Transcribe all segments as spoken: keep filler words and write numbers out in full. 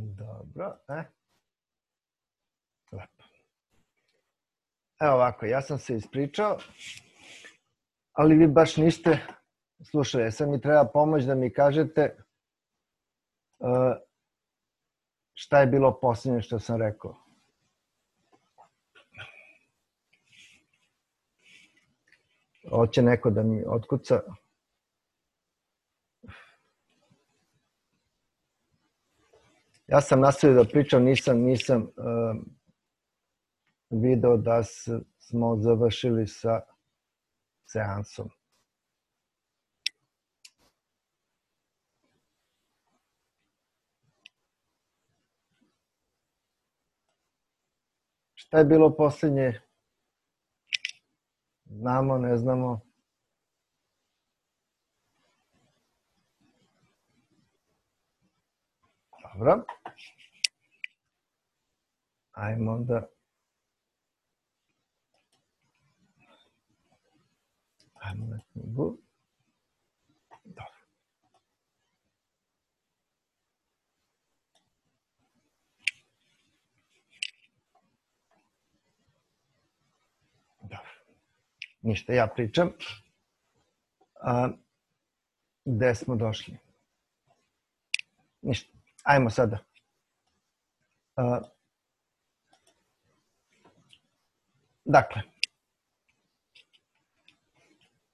Dobro, e. Lepo. Evo ovako, ja sam se ispričao, ali vi baš niste slušali. Sad mi treba pomoć da mi kažete uh, šta je bilo posljednje što sam rekao. Hoće neko da mi otkuca. Ja sam nastavio da pričam, nisam, nisam uh, video da s, smo završili sa seansom. Šta je bilo posljednje? Znamo, ne znamo. Dobro. Ajmo onda. Ajmo na knjigu. Dobro. Dobro. Ništa, ja pričam. A, gde smo došli? Ništa. Ajmo sada. A, dakle,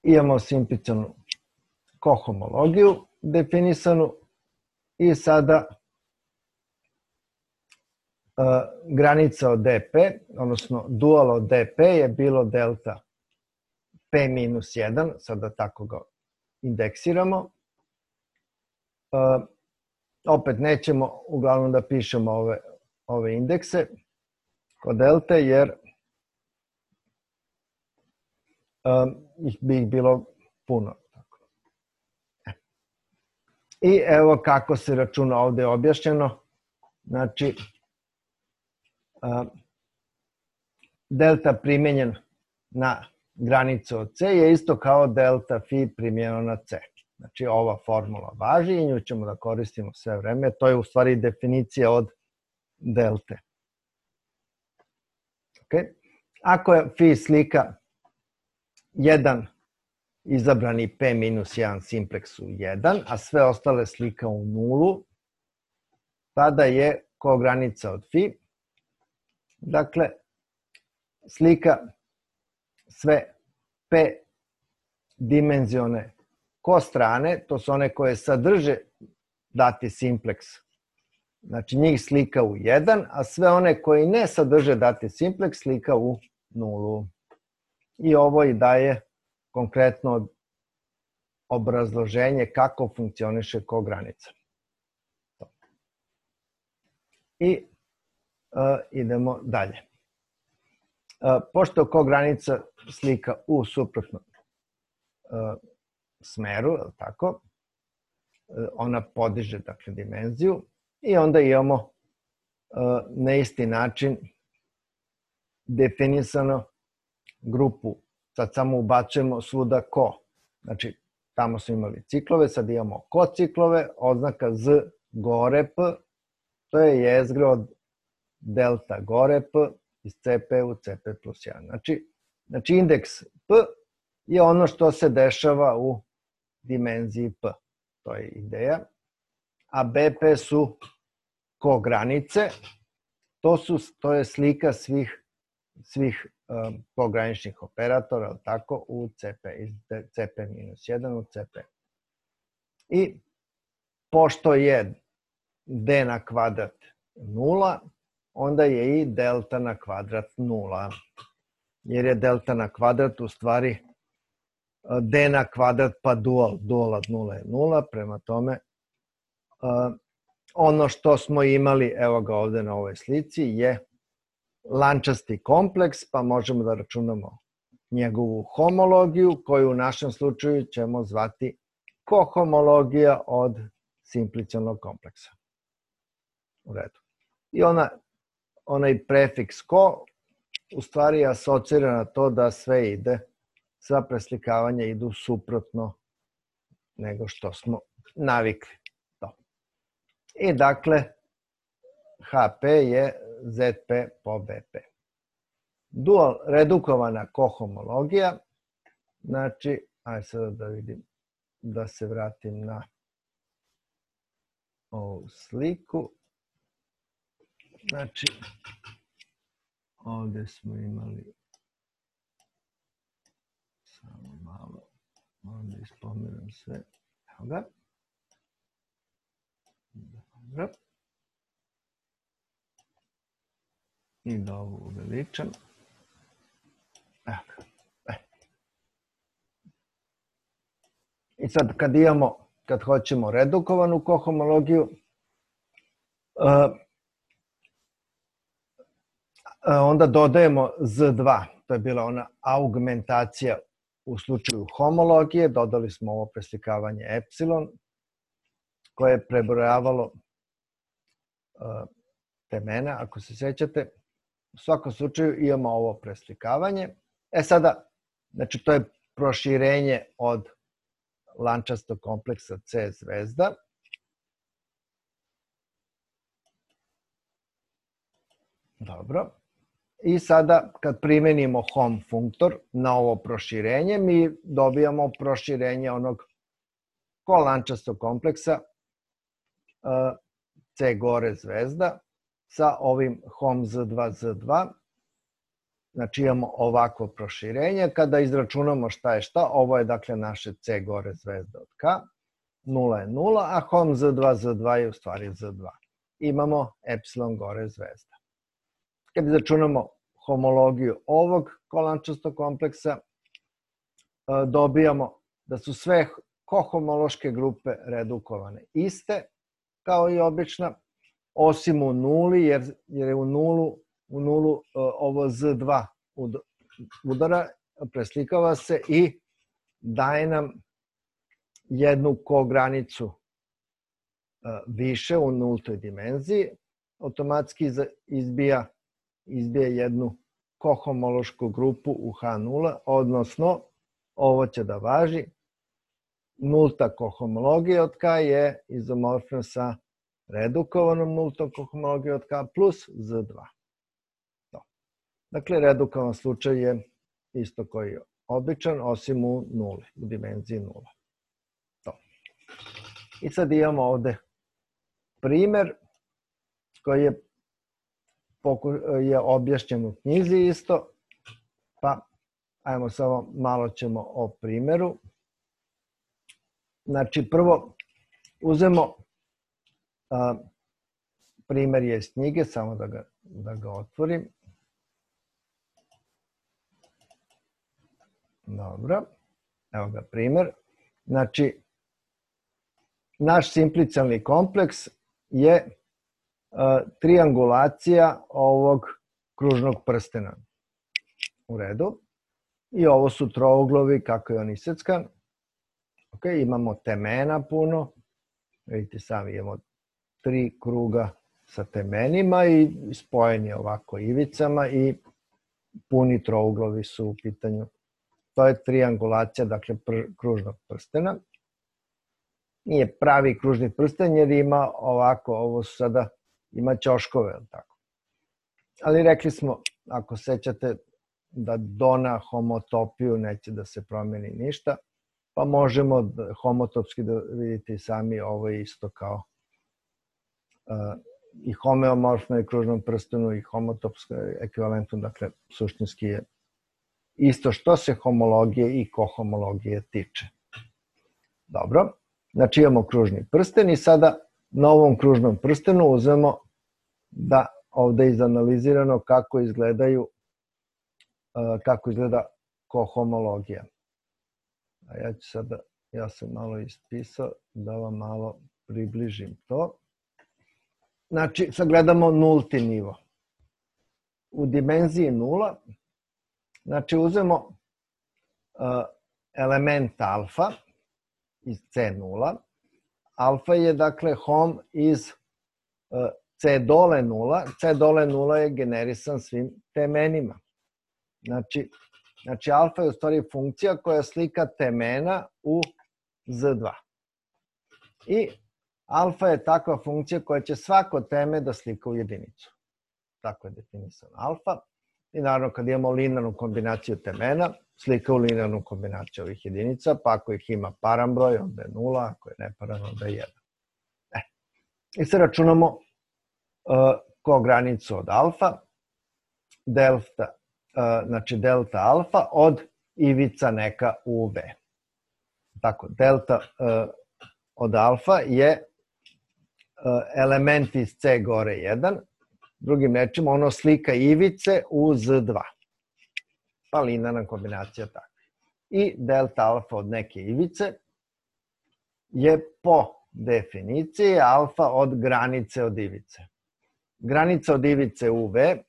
imamo simplicijalnu kohomologiju definisanu i sada a, granica od dp, odnosno dual od dp je bilo delta p minus jedan, sada tako ga indeksiramo. A, opet nećemo uglavnom da pišemo ove, ove indekse kod delte, jer um, ih bi ih bilo puno. I evo kako se računa, ovde je objašnjeno. Znači, um, delta primenjen na granicu od c je isto kao delta phi primjenjeno na c. Znači, ova formula važi i nju ćemo da koristimo sve vreme. To je u stvari definicija od delte. Okay. Ako je phi slika jedan izabrani p minus jedan simpleks u jedan, a sve ostale slika u nulu, tada je kogranica od phi. Dakle, slika sve p dimenzione ko strane, to su one koje sadrže dati simpleks. Znači njih slika u jedan, a sve one koji ne sadrže dati simpleks slika u nulu. I ovo i daje konkretno obrazloženje kako funkcioniše kogranica. I uh, idemo dalje. Uh, pošto kogranica slika u suprotnom uh, smeru, tako, ona podiže, dakle, dimenziju i onda imamo uh, na isti način definisano grupu. Sad samo ubacujemo svuda ko. Znači, tamo smo imali ciklove, sad imamo ko ciklove, oznaka z gore p, to je jezgro od delta gore p iz cp u cp plus jedan. Znači, znači indeks p je ono što se dešava u dimenziji p. To je ideja. A bp su kogranice. To, su, to je slika svih, svih um, pograničnih operatora, tako, u cp, iz cp minus jedan u cp. I pošto je d na kvadrat nula, onda je i delta na kvadrat nula. Jer je delta na kvadrat u stvari d na kvadrat pa dual, dual od nula je nula, prema tome uh, ono što smo imali, evo ga ovde na ovoj slici, je lančasti kompleks, pa možemo da računamo njegovu homologiju, koju u našem slučaju ćemo zvati kohomologija od simplicijalnog kompleksa. U redu. I ona, onaj prefiks ko u stvari asocira na to da sve ide, sva preslikavanja idu suprotno nego što smo navikli. To. I dakle, H P je Z P po B P. Dual redukovana kohomologija, znači, ajde sada da vidim, da se vratim na ovu sliku. Znači, ovdje smo imali, samo malo, ovdje ispomenem sve, evo ga. Dobro. I da ovo uveličam. Evo ga. E. I sad kad imamo, kad hoćemo redukovanu kohomologiju, uh, onda dodajemo Z dva. To je bila ona augmentacija u slučaju homologije. Dodali smo ovo preslikavanje epsilon koje je prebrojavalo uh, temena, ako se sećate. U svakom slučaju imamo ovo preslikavanje. E sada, znači to je proširenje od lančastog kompleksa C zvezda. Dobro. I sada kad primenimo Hom funktor na ovo proširenje, mi dobijamo proširenje onog kolančastog kompleksa C gore zvezda sa ovim Hom Z dva Z dva. Znači imamo ovakvo proširenje. Kada izračunamo šta je šta, ovo je dakle naše C gore zvezda od K. nula je nula, a Hom Z dva Z dva je u stvari Z dva. Imamo epsilon gore zvezda. Kad izračunamo homologiju ovog kolančastog kompleksa, dobijamo da su sve kohomološke grupe redukovane iste, kao i obična, osim u nuli, jer je u nulu, u nulu ovo Z dva udara, preslikava se i daje nam jednu kogranicu više u nultoj dimenziji, automatski izbija izbija jednu kohomološku grupu u H nula, odnosno ovo će da važi. Nulta kohomologija od K je izomorfna sa redukovanom nultom kohomologijom od K plus Z dva. Dakle, redukovan slučaj je isto koji je običan, osim u nuli, u dimenziji nula. I sad imamo ovde primer koji je je objašnjen u knjizi isto, pa ajmo samo malo ćemo o primeru. Znači prvo uzemo, a, primer je iz knjige, samo da ga, da ga otvorim. Dobro, evo ga primer. Znači, naš simplicijalni kompleks je triangulacija ovog kružnog prstena. U redu. I ovo su trouglovi kako je on iseckan. Ok, imamo temena puno. Vidite sami, imamo tri kruga sa temenima i spojeni ovako ivicama i puni trouglovi su u pitanju. To je triangulacija, dakle, kružnog prstena. Nije pravi kružni prsten jer ima ovako, ovo su sada ima ćoškove, tako. Ali rekli smo, ako sećate, da do na homotopiju neće da se promeni ništa, pa možemo homotopski da vidite i sami, ovo je isto kao uh, i homeomorfno i kružnom prstenu i homotopsko ekvivalentno, dakle, suštinski je isto što se homologije i kohomologije tiče. Dobro, znači imamo kružni prsten i sada na ovom kružnom prstenu uzmemo da ovde je izanalizirano kako izgledaju, kako izgleda kohomologija. A ja ću sada, ja sam malo ispisao da vam malo približim to. Znači, sad gledamo nulti nivo. U dimenziji nula, znači uzmemo element alfa iz C nula. Alfa je, dakle, Hom iz C dole nula. C dole nula je generisan svim temenima. Znači, znači alfa je u stvari funkcija koja slika temena u Z dva. I Alfa je takva funkcija koja će svako teme da slika u jedinicu. Tako je definisano alfa. I naravno kad imamo linearnu kombinaciju temena, slika u linearnu kombinaciju ovih jedinica, pa ako ih ima paran broj, onda je nula, ako je neparan, onda je jedan. E. I sad računamo uh, kogranicu od alfa, delta, uh, znači delta alfa od ivica neka u V. Tako, delta uh, od alfa je uh, element iz C gore jedan, drugim rečima ono slika ivice u Z dva. Pa linearna kombinacija tako. I delta alfa od neke ivice je po definiciji alfa od granice od ivice. Granica od ivice u V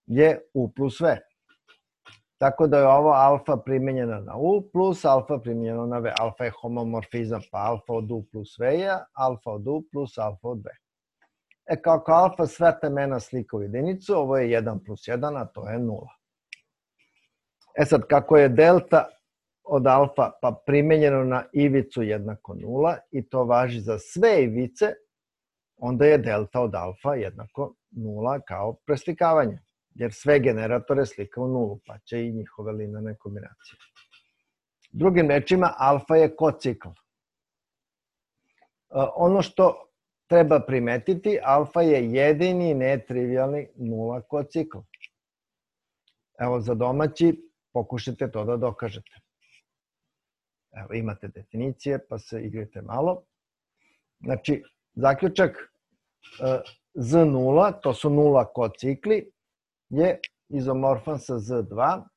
je U plus V. Tako da je ovo alfa primenjena na U plus alfa primenjena na V. Alfa je homomorfizam, pa alfa od U plus V je alfa od U plus alfa od V. E kako alfa sve temena slika u jedinicu, ovo je jedan plus jedan, a to je nula. E sad, kako je delta od alfa pa primenjeno na ivicu jednako nula i to važi za sve ivice, onda je delta od alfa jednako nula kao preslikavanje, jer sve generatore slika u nulu, pa će i njihove linearne kombinacije. Drugim rečima, alfa je kocikl. Ono što treba primetiti, alfa je jedini netrivialni nula kocikl. Evo za domaći, pokušajte to da dokažete. Evo imate definicije, pa se igrajte malo. Znači, zaključak Z nula, to su nula kocikli, je izomorfan sa Z dva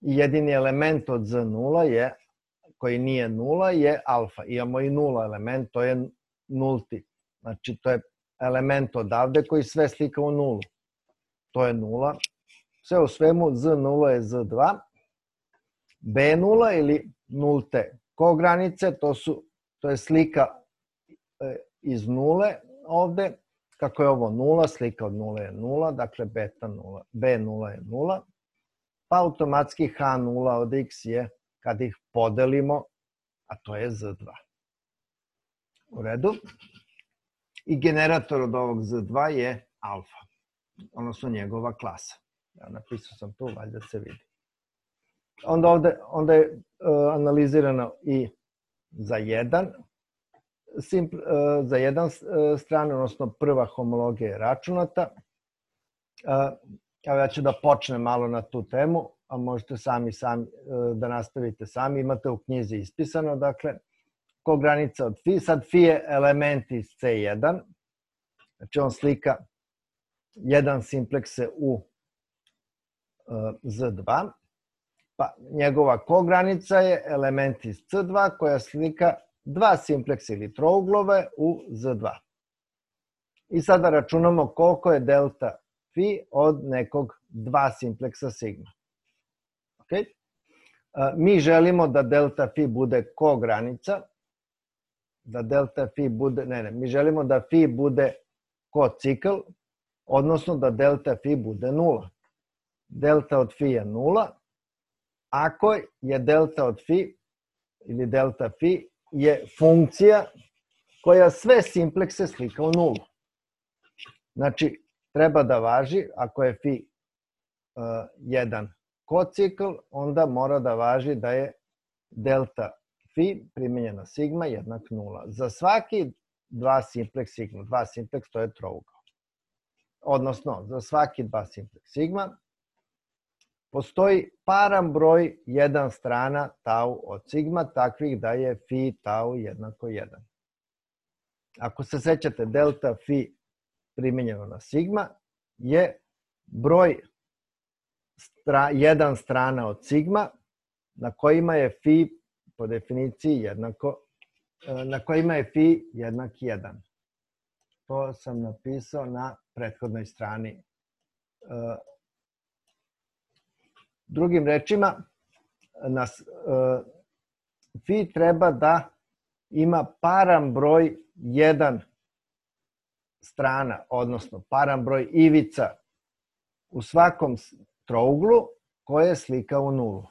i jedini element od Z nula je, koji nije nula, je alfa. Imamo i nula element, to je nulti. Znači, to je element odavde koji sve slika u nulu. To je nula. Sve u svemu, Z nula je Z dva. B nula ili nulte kogranice, to, su, to je slika iz nule ovde. Kako je ovo nula, slika od nula je nula, dakle beta nula, B nula je nula. Pa automatski H nula od X je kad ih podelimo, a to je Z dva. U redu. I generator od ovog Z dva je alfa, odnosno njegova klasa. Ja napisao sam tu, valjda se vidi. Onda ovde onda je uh, analizirano i za jedan, simpl, uh, za jedan uh, strane, odnosno prva homologija je računata. Uh, evo ja ću da počnem malo na tu temu, a možete sami, sami uh, da nastavite sami. Imate u knjizi ispisano, dakle, kogranica od Φ. Sad Φ je element iz C jedan, znači on slika jedan simplekse u uh, Z dva, pa njegova kogranica je element iz C dva koja slika dva simpleksa ili trouglove u Z dva. I sada računamo koliko je delta Φ od nekog dva simpleksa sigma. Okay? Uh, mi želimo da delta Φ bude kogranica, da delta Φ bude, ne, ne, mi želimo da Φ bude kocikl, odnosno da delta Φ bude nula. Delta od Φ je nula, ako je delta od Φ ili delta Φ je funkcija koja sve simplekse slika u nulu. Znači, treba da važi, ako je Φ uh, jedan kocikl, onda mora da važi da je delta Φ primenjena sigma jednak nula. Za svaki dva simpleks sigma, dva simpleks to je trougao. Odnosno, za svaki dva simpleks sigma postoji paran broj jedan strana tau od sigma, takvih da je Φ tau jednako jedan. Ako se sećate, delta Φ primenjeno na sigma je broj stra, jedan strana od sigma na kojima je Φ po definiciji jednako, na kojima je Φ jednak jedan. To sam napisao na prethodnoj strani. Drugim rečima, Φ treba da ima paran broj jedan strana, odnosno paran broj ivica u svakom trouglu koje slika u nulu.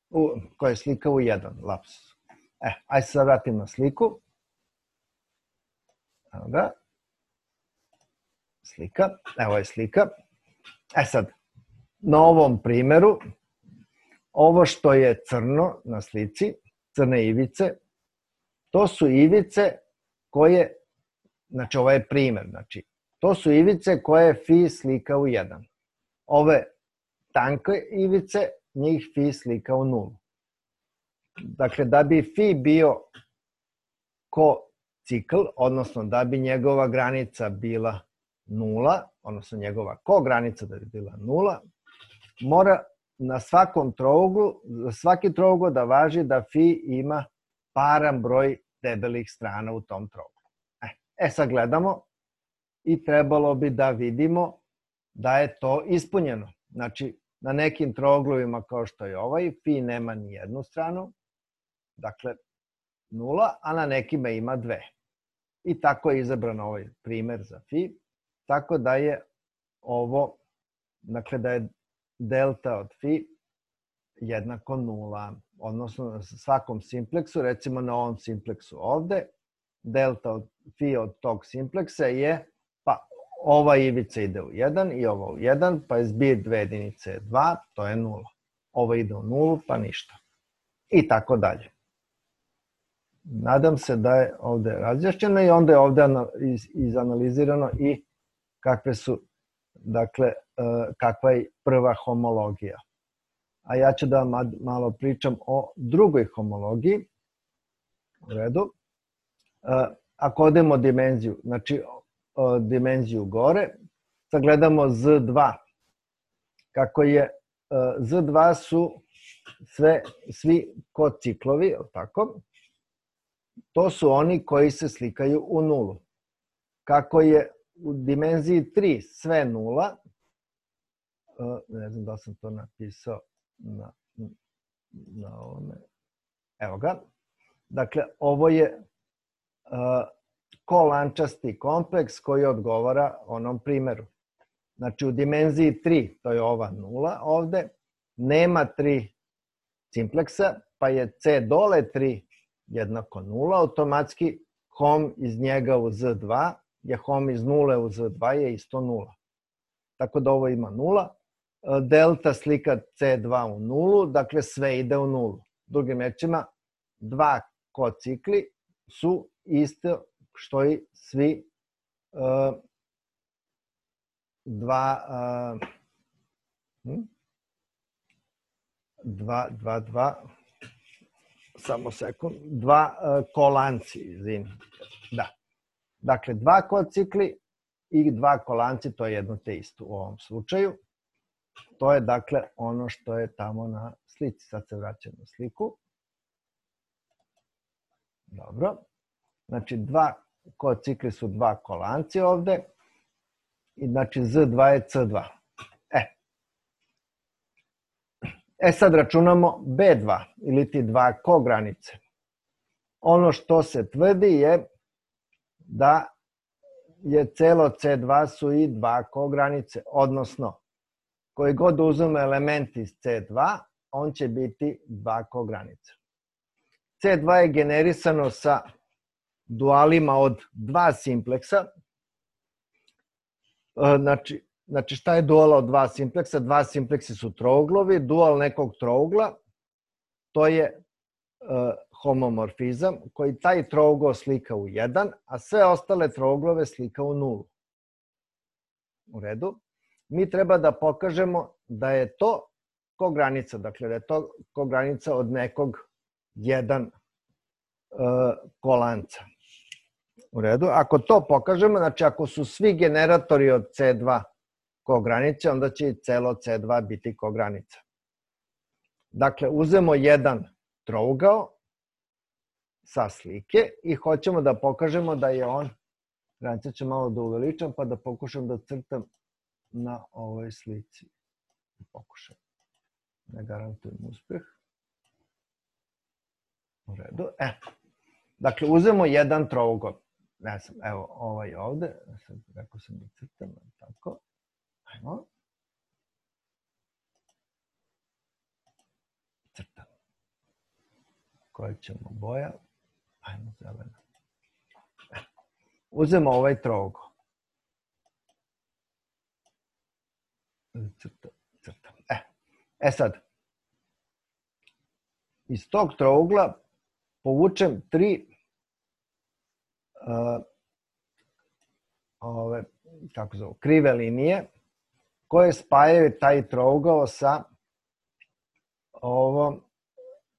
U, koje slika u jedan, lapsus. E, ajde se sad vratim na sliku. Evo ga. Slika. Evo je slika. E sad, na ovom primeru, ovo što je crno na slici, crne ivice, to su ivice koje, znači ovo je primer, znači to su ivice koje fi slika u jedan. Ove tanke ivice, njih fi slika u nulu. Dakle, da bi fi bio ko-cikl, odnosno da bi njegova granica bila nula, odnosno njegova ko-granica da bi bila nula, mora na svakom trouglu, za svaki trougao da važi da fi ima paran broj debelih strana u tom trouglu. E, sad gledamo i trebalo bi da vidimo da je to ispunjeno. Znači, na nekim trouglovima kao što je ovaj, fi nema ni jednu stranu, dakle nula, a na nekima ima dve. I tako je izabran ovaj primer za fi, tako da je ovo, dakle da je delta od fi jednako nula, odnosno na svakom simpleksu, recimo na ovom simpleksu ovde, delta od fi od tog simpleksa je, pa ova ivica ide u jedan i ova u jedan, pa je zbir dve jedinice je dva, to je nula. Ovo ide u nulu, pa ništa. I tako dalje. Nadam se da je ovde razjašnjeno i onda je ovde izanalizirano i kakve su, dakle, kakva je prva homologija. A ja ću da vam malo pričam o drugoj homologiji. U redu. Ako odemo dimenziju, znači dimenziju gore, sagledamo Z dva. Kako je, Z dva su sve, svi kociklovi, tako? To su oni koji se slikaju u nulu. Kako je u dimenziji tri sve nula, ne znam da sam to napisao na, na ovome, evo ga, dakle ovo je uh, kolančasti kompleks koji odgovara onom primeru. Znači u dimenziji tri, to je ova nula ovde, nema tri simpleksa, pa je C dole tri jednako nula, automatski hom iz njega u Z dva, je hom iz nule u Z dva je isto nula. Tako da ovo ima nula. Delta slika C dva u nulu, dakle sve ide u nulu. Drugim rečima, dva kocikli su isto što i svi uh, dva, uh, hm? dva, dva, dva, samo sekund, dva uh, kolanci, izvini. Da. Dakle, dva kocikli i dva kolanci, to je jedno te isto u ovom slučaju. To je, dakle, ono što je tamo na slici. Sad se vraćam na sliku. Dobro. Znači, dva kocikli su dva kolanci ovde. I znači, Z dva je C dva. E. E sad računamo B dva, ili ti dva kogranice. Ono što se tvrdi je da je celo C dva su i dva kogranice, odnosno koji god uzme element iz C dva, on će biti dva kogranice. C dva je generisano sa dualima od dva simpleksa. Znači, znači šta je duala od dva simpleksa? Dva simpleksi su trouglovi, dual nekog trougla, to je uh, homomorfizam koji taj trougao slika u jedan, a sve ostale trouglove slika u nulu. U redu. Mi treba da pokažemo da je to kogranica, dakle da je to kogranica od nekog jedan uh, kolanca. U redu. Ako to pokažemo, znači ako su svi generatori od C dva kogranice, onda će i celo C dva biti kogranica. Dakle, uzemo jedan trougao sa slike i hoćemo da pokažemo da je on, granica ću malo da uveličam pa da pokušam da crtam na ovoj slici. Pokušam. Ne garantujem uspeh. U redu. E. Dakle, uzemo jedan trougao. Ne znam, evo ovaj ovde. Sad rekao sam da crtam. Tako. Ajmo. Crtam. Koja ćemo boja? Ajmo zelena. uzmemo ovaj trougao. Crta, crta. E, e sad, iz tog trougla povučem tri uh, ove, kako zove, krive linije koje spajaju taj trougao sa ovom,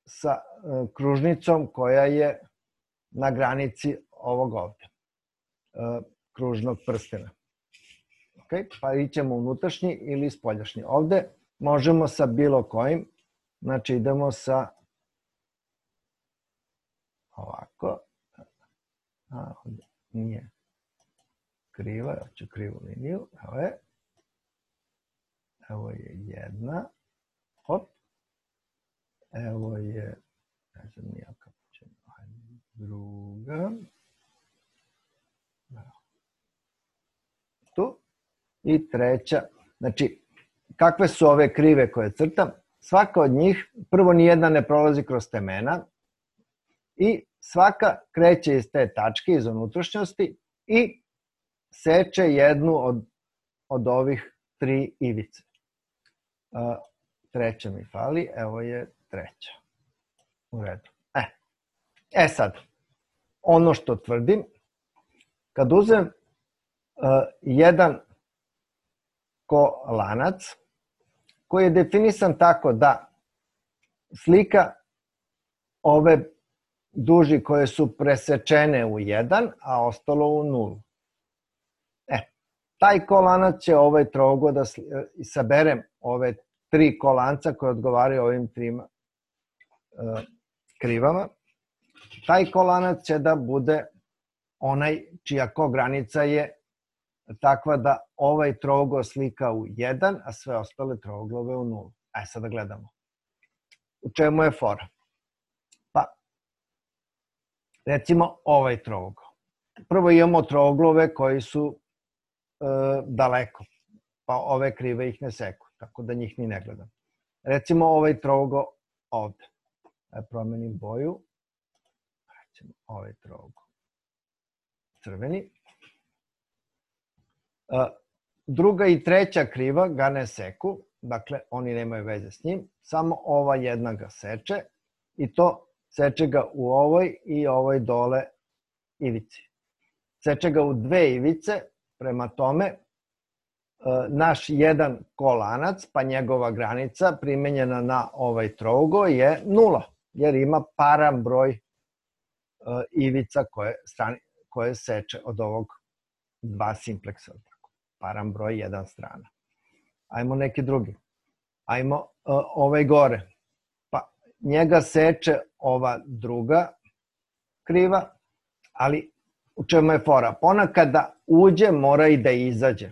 sa uh, kružnicom koja je na granici ovog ovde, uh, kružnog prstena. Okay? Pa ićemo unutrašnji ili spoljašnji. Ovde možemo sa bilo kojim, znači idemo sa ovako, a, ovde nije kriva, ja ću krivu liniju, evo je, evo je jedna, hop, evo je, ne znam nija kako ćemo, druga, tu, i treća, znači, kakve su ove krive koje crtam? Svaka od njih, prvo nijedna ne prolazi kroz temena i svaka kreće iz te tačke, iz unutrašnjosti i seče jednu od, od ovih tri ivice. Uh, treća mi fali, evo je treća. U redu. E, e sad, ono što tvrdim, kad uzem uh, jedan kolanac koji je definisan tako da slika ove duži koje su presečene u jedan, a ostalo u nulu. E, taj kolanac će ovaj trougao da saberem ove tri kolanca koje odgovaraju ovim trima uh, krivama. Taj kolanac će da bude onaj čija kogranica je takva da ovaj trougao slika u jedan, a sve ostale trouglove u nulu. Ajde sad da gledamo. U čemu je fora? Pa, recimo ovaj trougao. Prvo imamo trouglove koji su e, daleko, pa ove krive ih ne seku, tako da njih ni ne gledam. Recimo ovaj trougao ovde. Ajde promenim boju. Recimo ovaj trougao. Crveni. Druga i treća kriva ga ne seku, dakle oni nemaju veze s njim, samo ova jedna ga seče i to seče ga u ovoj i ovoj dole ivici. Seče ga u dve ivice, prema tome naš jedan kolanac, pa njegova granica primenjena na ovaj trougao je nula, jer ima paran broj ivica koje, strani, koje seče od ovog dva simpleksa. Paran broj jedan strana. Ajmo neki drugi. Ajmo uh, ovaj gore. Pa njega seče ova druga kriva, ali u čemu je fora? Ona kada uđe mora i da izađe.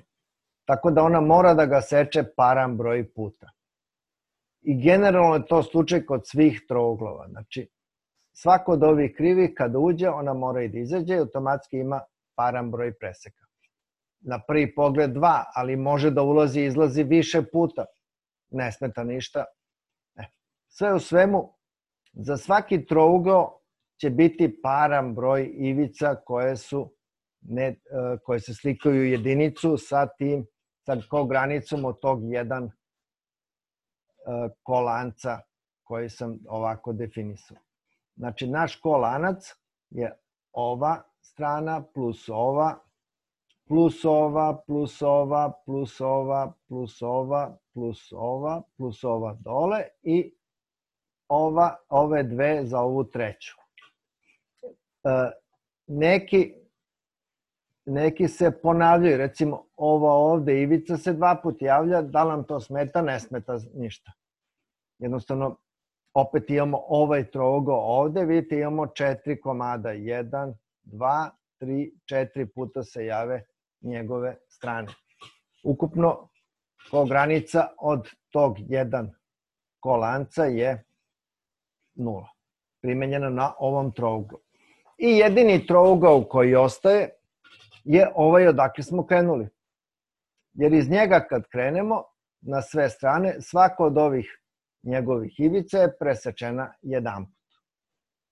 Tako da ona mora da ga seče paran broj puta. I generalno je to slučaj kod svih trouglova. Znači, svako od ovih krivih kada uđe, ona mora i da izađe i automatski ima paran broj preseka. Na prvi pogled dva, ali može da ulazi i izlazi više puta. Ne smeta ništa. E. Sve u svemu, za svaki trougao će biti paran broj ivica koje su ne, koje se slikaju u jedinicu sa tim, sa kogranicom od tog jedan kolanca koji sam ovako definisao. Znači, naš kolanac je ova strana plus ova, plus ova, plus ova, plus ova, plus ova, plus ova, plus ova dole i ova, ove dve za ovu treću. E, neki, neki se ponavljaju, recimo ova ovde ivica se dva puta javlja, da li nam to smeta? Ne smeta ništa. Jednostavno, opet imamo ovaj trougao ovde, vidite imamo četiri komada, jedan, dva, tri, četiri puta se jave njegove strane. Ukupno kogranica od tog jedan kolanca je nula, primenjena na ovom trouglu. I jedini trougao koji ostaje je ovaj odakle smo krenuli. Jer iz njega kad krenemo na sve strane, svako od ovih njegovih ivica je presečena jedan put.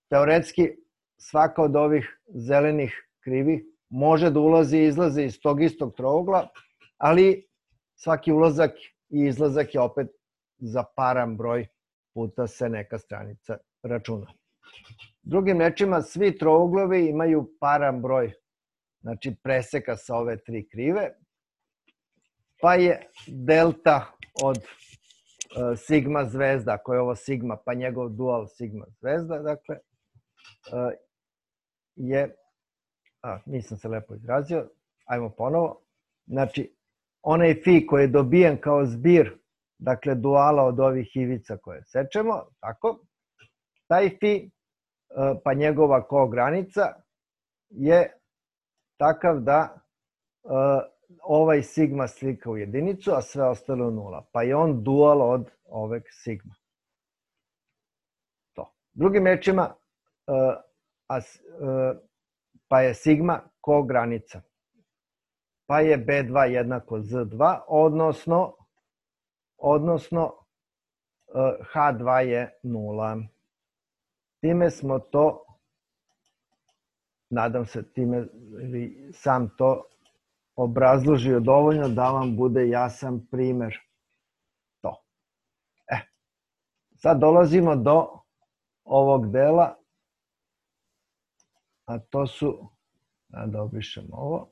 Teoretski, svaka od ovih zelenih krivih može da ulazi i izlazi iz tog istog trougla, ali svaki ulazak i izlazak je opet za paran broj puta se neka stranica računa. Drugim rečima, svi trouglovi imaju paran broj, znači preseka sa ove tri krive, pa je delta od uh, sigma zvezda, ako je ovo sigma, pa njegov dual sigma zvezda, dakle, uh, je, a, nisam se lepo izrazio, ajmo ponovo, znači, onaj fi koji je dobijen kao zbir, dakle, duala od ovih ivica koje sečemo, tako, taj fi, uh, pa njegova kogranica, je takav da uh, ovaj sigma slika u jedinicu, a sve ostalo u nula. Pa je on dual od ovog sigma. To. Drugim rečima, uh, a, uh, pa je sigma kogranica. Pa je be dva jednako ze dva, odnosno, odnosno uh, ha dva je nula. Time smo to, nadam se time ili sam to obrazložio dovoljno da vam bude jasan primer. To. E, sad dolazimo do ovog dela, a to su, da obrišem ovo,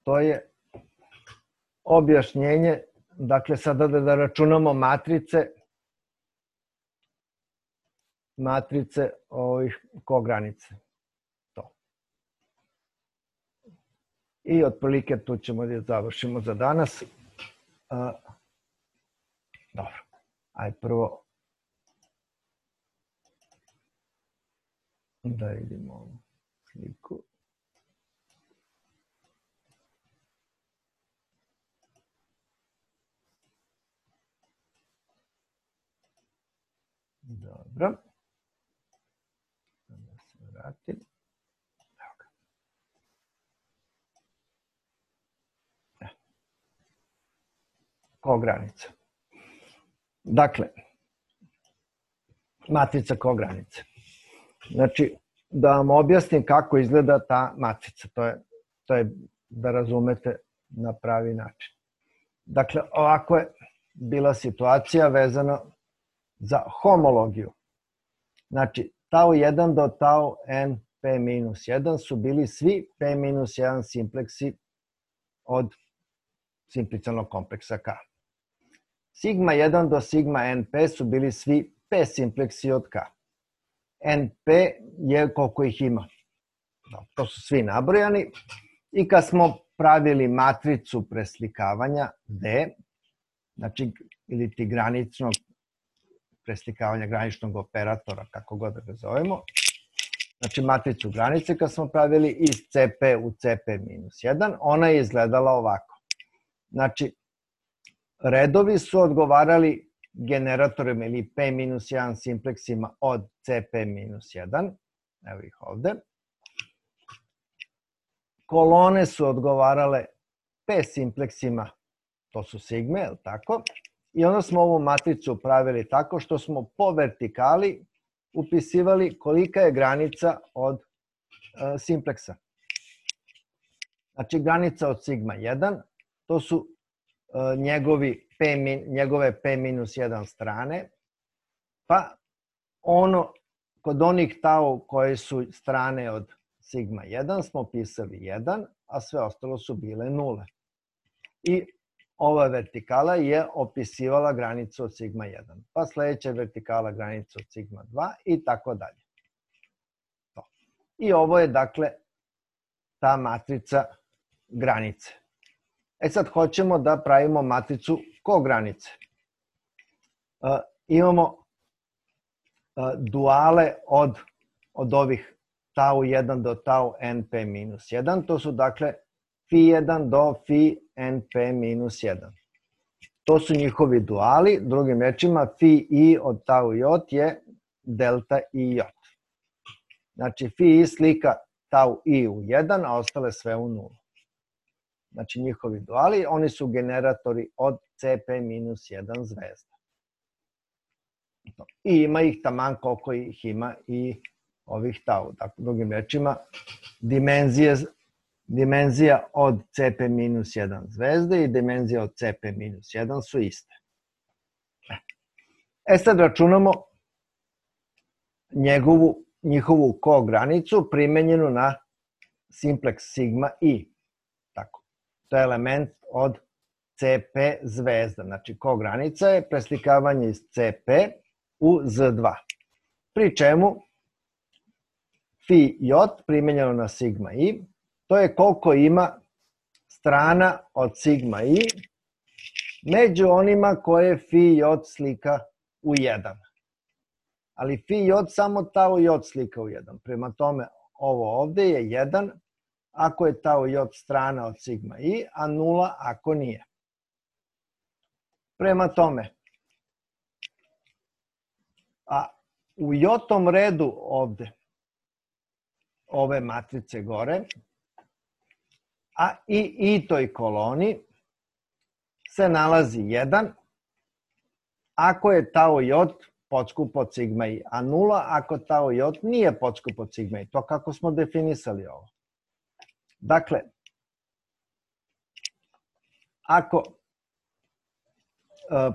to je objašnjenje, dakle sada da računamo matrice, matrice ovih kogranice. To. I otprilike tu ćemo da završimo za danas. Uh, dobro. Aj prvo da vidimo ovu sliku. Dobro. Da se vratim. Evo ga. E. Kogranica. Dakle, matrica kogranice. Znači, da vam objasnim kako izgleda ta matrica. To je, to je da razumete na pravi način. Dakle, ovako je bila situacija vezana za homologiju. Znači, tau jedan do tau n p minus jedan su bili svi p minus jedan simpleksi od simplicijalnog kompleksa K. Sigma jedan do sigma np su bili svi p simpleksi od K. Np je koliko ih ima. To su svi nabrojani. I kad smo pravili matricu preslikavanja D, znači ili ti graničnog preslikavanja graničnog operatora, kako god da ga zovemo, znači matricu granice kad smo pravili iz Cp u Cp minus jedan, ona je izgledala ovako. Znači, redovi su odgovarali generatorima ili p minus jedan simpleksima od Cp minus jedan, evo ih ovde. Kolone su odgovarale p simpleksima, to su sigme, je li tako? I onda smo ovu matricu pravili tako što smo po vertikali upisivali kolika je granica od e, simpleksa. Znači, granica od sigma jedan, to su e, njegovi p, njegove p minus jedan strane, pa ono, kod onih tau koje su strane od sigma jedan smo pisali jedan, a sve ostalo su bile nule. I ova vertikala je opisivala granicu od sigma jedan, pa sledeća vertikala granicu od sigma dva i tako dalje. I ovo je, dakle, ta matrica granice. E sad hoćemo da pravimo matricu kogranice. E, imamo e, duale od, od ovih tau jedan do tau np minus jedan, to su, dakle, fi jedan do fi np minus jedan. To su njihovi duali, drugim rečima fi i od tau j je delta i j. Znači fi i slika tau i u jedan, a ostale sve u nulu. Znači njihovi duali, oni su generatori od Cp minus jedan zvezda. I ima ih taman koliko ih ima i ovih tau. Dakle, drugim rečima, dimenzije, dimenzija od C P minus jedan zvezde i dimenzija od C P minus jedan su iste. E sad računamo njegovu, njihovu kogranicu primenjenu na simplex sigma i. Tako. To je element od C P zvezda. Znači, kogranica je preslikavanje iz C P u Z dva. Pri čemu fi j primenjeno na sigma i, to je koliko ima strana od sigma i među onima koje fi j slika u jedan. Ali fi j samo tau j slika u jedan. Prema tome, ovo ovde je jedan ako je tau j strana od sigma i, a nula ako nije. Prema tome, a u j-tom redu ovde, ove matrice gore, a i i-toj koloni se nalazi jedan ako je tau j podskup od sigma i, a nula ako tau j nije podskup od sigma i. To kako smo definisali ovo. Dakle, ako e,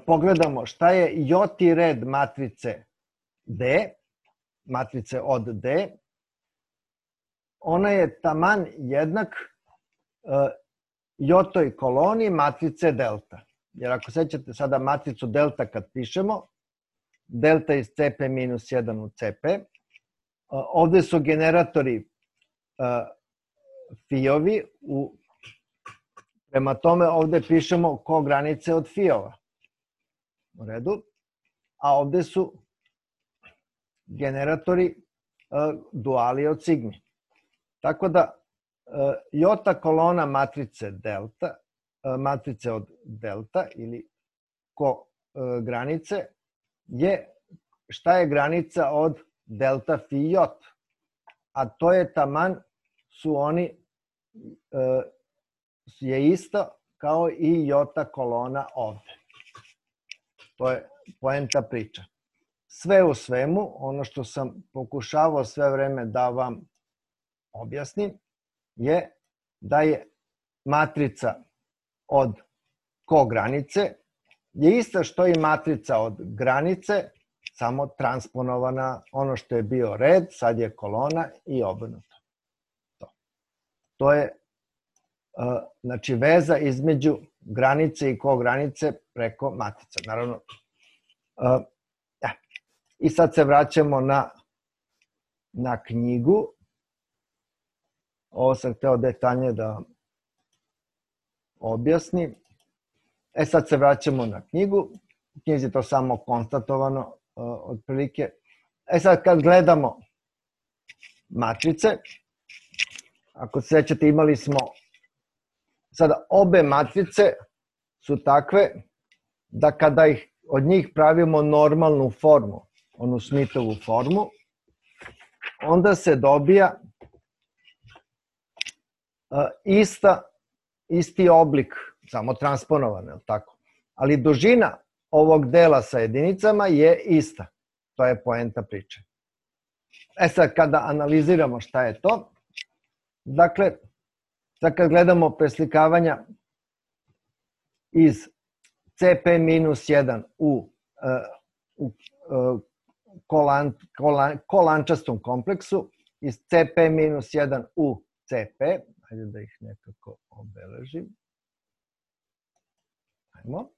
pogledamo šta je j-ti red matrice D, matrice od D, ona je taman jednak e, j-toj koloni matrice delta. Jer ako sećate sada matricu delta kad pišemo, delta iz C P minus jedan u C P, ovde su generatori fijovi, u, prema tome ovde pišemo kogranice od fijova. U redu. A ovde su generatori duali od sigmi. Tako da j kolona matrice delta, matrice od delta ili ko granice je šta je granica od delta fi j, a to je taman su oni je isto kao i j kolona ovde. To je poenta priča. Sve u svemu, ono što sam pokušavao sve vreme da vam objasnim, je da je matrica od kogranice je ista što i matrica od granice, samo transponovana, ono što je bio red, sad je kolona i obrnuto. To, to je znači veza između granice i kogranice preko matrica. Naravno, i sad se vraćamo na, na knjigu. Ovo sam hteo detaljnije da vam objasnim. E sad se vraćamo na knjigu. U knjizi je to samo konstatovano otprilike. E sad kad gledamo matrice, ako se sećate imali smo sada obe matrice su takve da kada ih od njih pravimo normalnu formu, onu Smithovu formu, onda se dobija ista, isti oblik, samo transponovan, je li tako? Ali dužina ovog dela sa jedinicama je ista. To je poenta priče. E sad, kada analiziramo šta je to, dakle, sad kad gledamo preslikavanja iz C P minus jedan u, u kolan, kolan, kolančastom kompleksu, iz C P minus jedan u C P, hajde da ih nekako obeležim. Ajmo.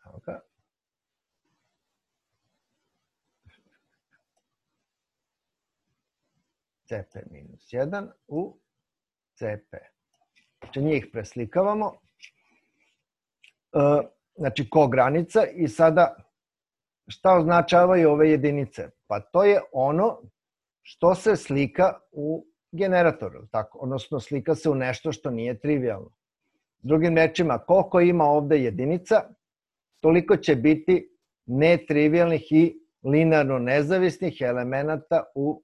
Evo ga. C P minus jedan u C P. Znači njih preslikavamo. Znači kogranica i sada šta označavaju ove jedinice? Pa to je ono što se slika u generatoru, tako? Odnosno slika se u nešto što nije trivialno. Drugim rečima, koliko ima ovde jedinica, toliko će biti netrivialnih i linearno nezavisnih elemenata u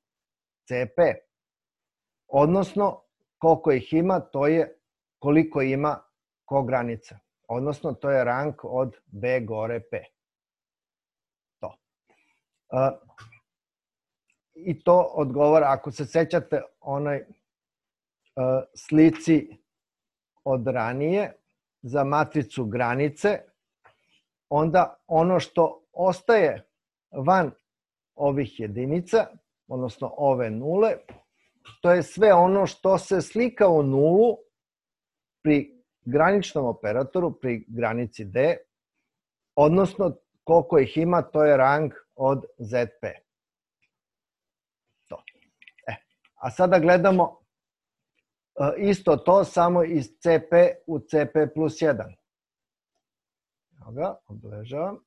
C P. Odnosno, koliko ih ima, to je koliko ima kogranica. Odnosno, to je rang od B gore P. To. I to odgovara, ako se sećate onaj slici od ranije za matricu granice, onda ono što ostaje van ovih jedinica, odnosno ove nule, to je sve ono što se slika u nulu pri graničnom operatoru, pri granici D, odnosno koliko ih ima, to je rang od Z P. To. E, a sada gledamo isto to, samo iz C P u C P plus jedan. Evo ga, obeležavam.